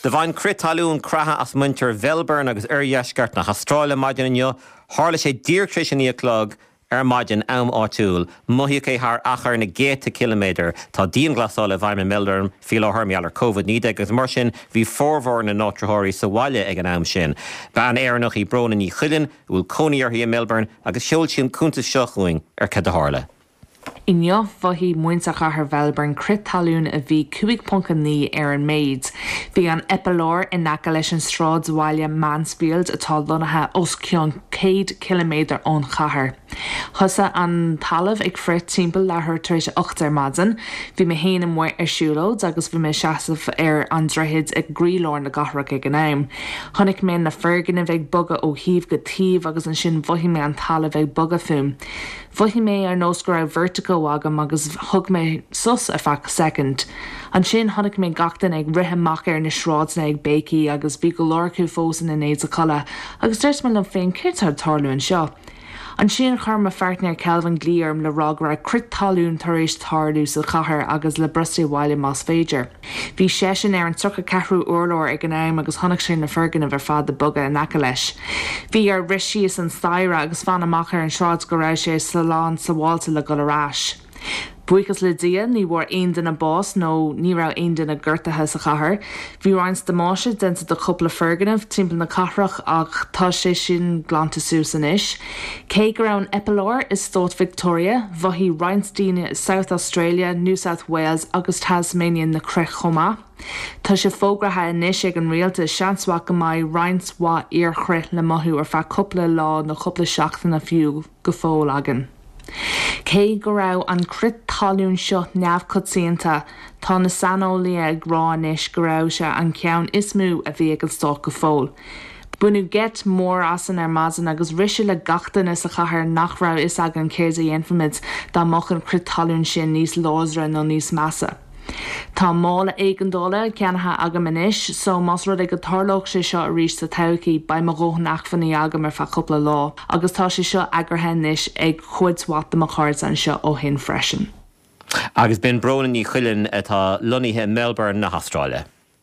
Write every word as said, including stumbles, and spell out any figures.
Do bhain crith talún creathadh as muintir Melbourne agus oirdheisceart na hAstráile maidin inniu, tharla sé díreach tar éis a naoi a chlog ar maidin am áitiúil, mothaíodh é thar achar na gcéadta ciliméadar tá dianghlasáil i bhfeidhm i Melbourne faoi láthair mar gheall ar COVID naoi déag agus mar sin bhí formhór na n-áitritheoirí sa bhaile ag an am sin. Bean Éireannach í Bróna Ní Chuilinn bhfuil cónaí uirthi i Melbourne agus sheol sí an cuntas seo chugainn ar cad a tharla. Inniu mhothaigh muintir chathair Melbourne crith talún a bhí cúig ponc naoi ar an méid. Bhí an eipealár in aice leis an sráidbhaile Mansfield atá lonnaithe os cionn céad ciliméadar ón chathair. Thosaigh an talamh ag crith timpeall leathuair tar éis ocht ar maidin, Bhí mé féin amuigh ar siúlóid agus bhí mé seasamh ar an droichead ag croílár na cathrach ag an am. Chonaic mé na foirgnimh ag bogadh ó thaobh go taobh agus ansin mhothaigh mé an talamh ag bogadh fúm. Mhothaigh mé ar nós go raibh vertigo agam agus thug mé sos ar feadh second. Ansin chonaic mé gach duine ag rith amach ar na sráideanna ag béicíl agus bhí go leor acu fós ina n-éide codlata, agus dúirt mé liom féin céard atá ag tarlú anseo. Ansin chuir mo pháirtnéir Kelvin glao orm le rá go raibh crith talún tar éis tarlú sa chathair agus le brostú abhaile más féidir. Bhí seisean ar an tríocha ceathrú urlár ag an am agus chonaic sé na foirgnimh ar fad ag bogadh in aice leis. Bhí air rith síos an staighre agus fan amach ar an sráid go raibh sé slán sábháilte le dul ar ais. Buíochas le Dia ní bhfuair aon duine bás nó ní raibh aon duine gortaithe sa chathair. Bhí roinnt damáiste déanta do chúpla foirgneamh timpeall na cathrach ach tá sé sin glanta suas anois. Cé go raibh an eipealár i stát Victoria, mhothaigh roinnt daoine South Australia, New South Wales agus Tasmania na crith chomh maith. Tá sé fógartha anois ag an rialtas seans maith go mbeidh roinnt mhaith iarchrith le mothú ar feadh cúpla lá nó cúpla seachtain fiú go fóill againn. Cé go raibh an crith talún seo neamhchoitianta, tá na saineolaithe ag rá anois go raibh sé an ceann is mó a bhí ag an stát go fóill. Baineadh geit mór asainn ar maidin agus rith sé le gach duine sa chathair nach raibh fhios againn céard a dhéanfaimid dá mbeadh an crith talún sin níos láidre nó níos measa. Tá mála éigeandála ceannaithe agam anois, so más rud é go dtarlódh sé seo arís sa todhchaí beidh mo dhóthain acmhainní agam ar feadh cúpla lá, agus tá sé seo eagraithe anois ag cuid mhaith de mo chairde anseo ó shin freisin. Agus b'in Bróna Ní Chuilinn atá lonnaithe Melbourne na hAstráile.